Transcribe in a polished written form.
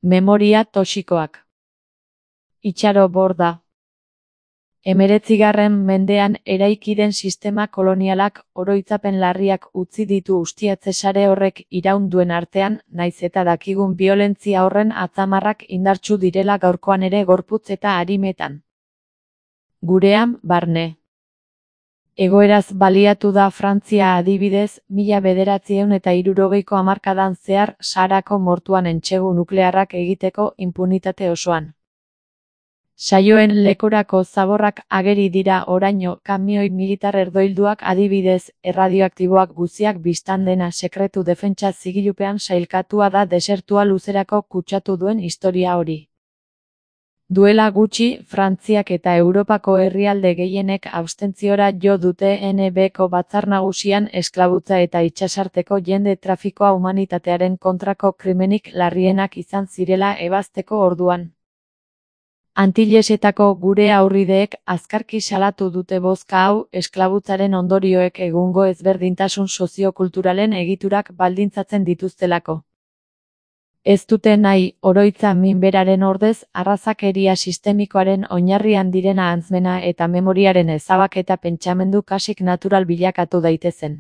Memoria toxikoak. Itxaro Borda. 19. mendean eraiki den sistema kolonialak oroitzapen larriak utzi ditu ustiatze sare horrek iraun duen artean, naiz eta dakigun biolentzia horren atzamarrak indartsu direla gaurkoan ere gorputz eta arimetan. Gurean, barne. Egoeraz baliatu da Frantzia adibidez, 1960ko hamarkadan zehar Saharako mortuan entsegu nuklearrak egiteko inpunitate osoan. Saioen lekorako zaborrak ageri dira oraino, kamioi militar erdoilduak adibidez, erradioaktiboak guziak bistan dena sekretu defentsa zigilupean sailkatua da desertua luzerako kutsatu duen historia hori. Duela gutxi, Frantziak eta Europako herrialde gehienek abstentziora jo dute NB-ko batzar nagusian esklabutza eta itsasarteko jende trafikoa humanitatearen kontrako krimenik larrienak izan zirela ebazteko orduan. Antilesetako gure aurrideek azkarki salatu dute bozka hau esklabutzaren ondorioek egungo ezberdintasun soziokulturalen egiturak baldintzatzen dituztelako. Ez dute nahi, oroitza minberaren ordez, arrazakeria sistemikoaren oinarrian direna antzmena eta memoriaren ezabaketa pentsamendu kasik natural bilakatu daitezen.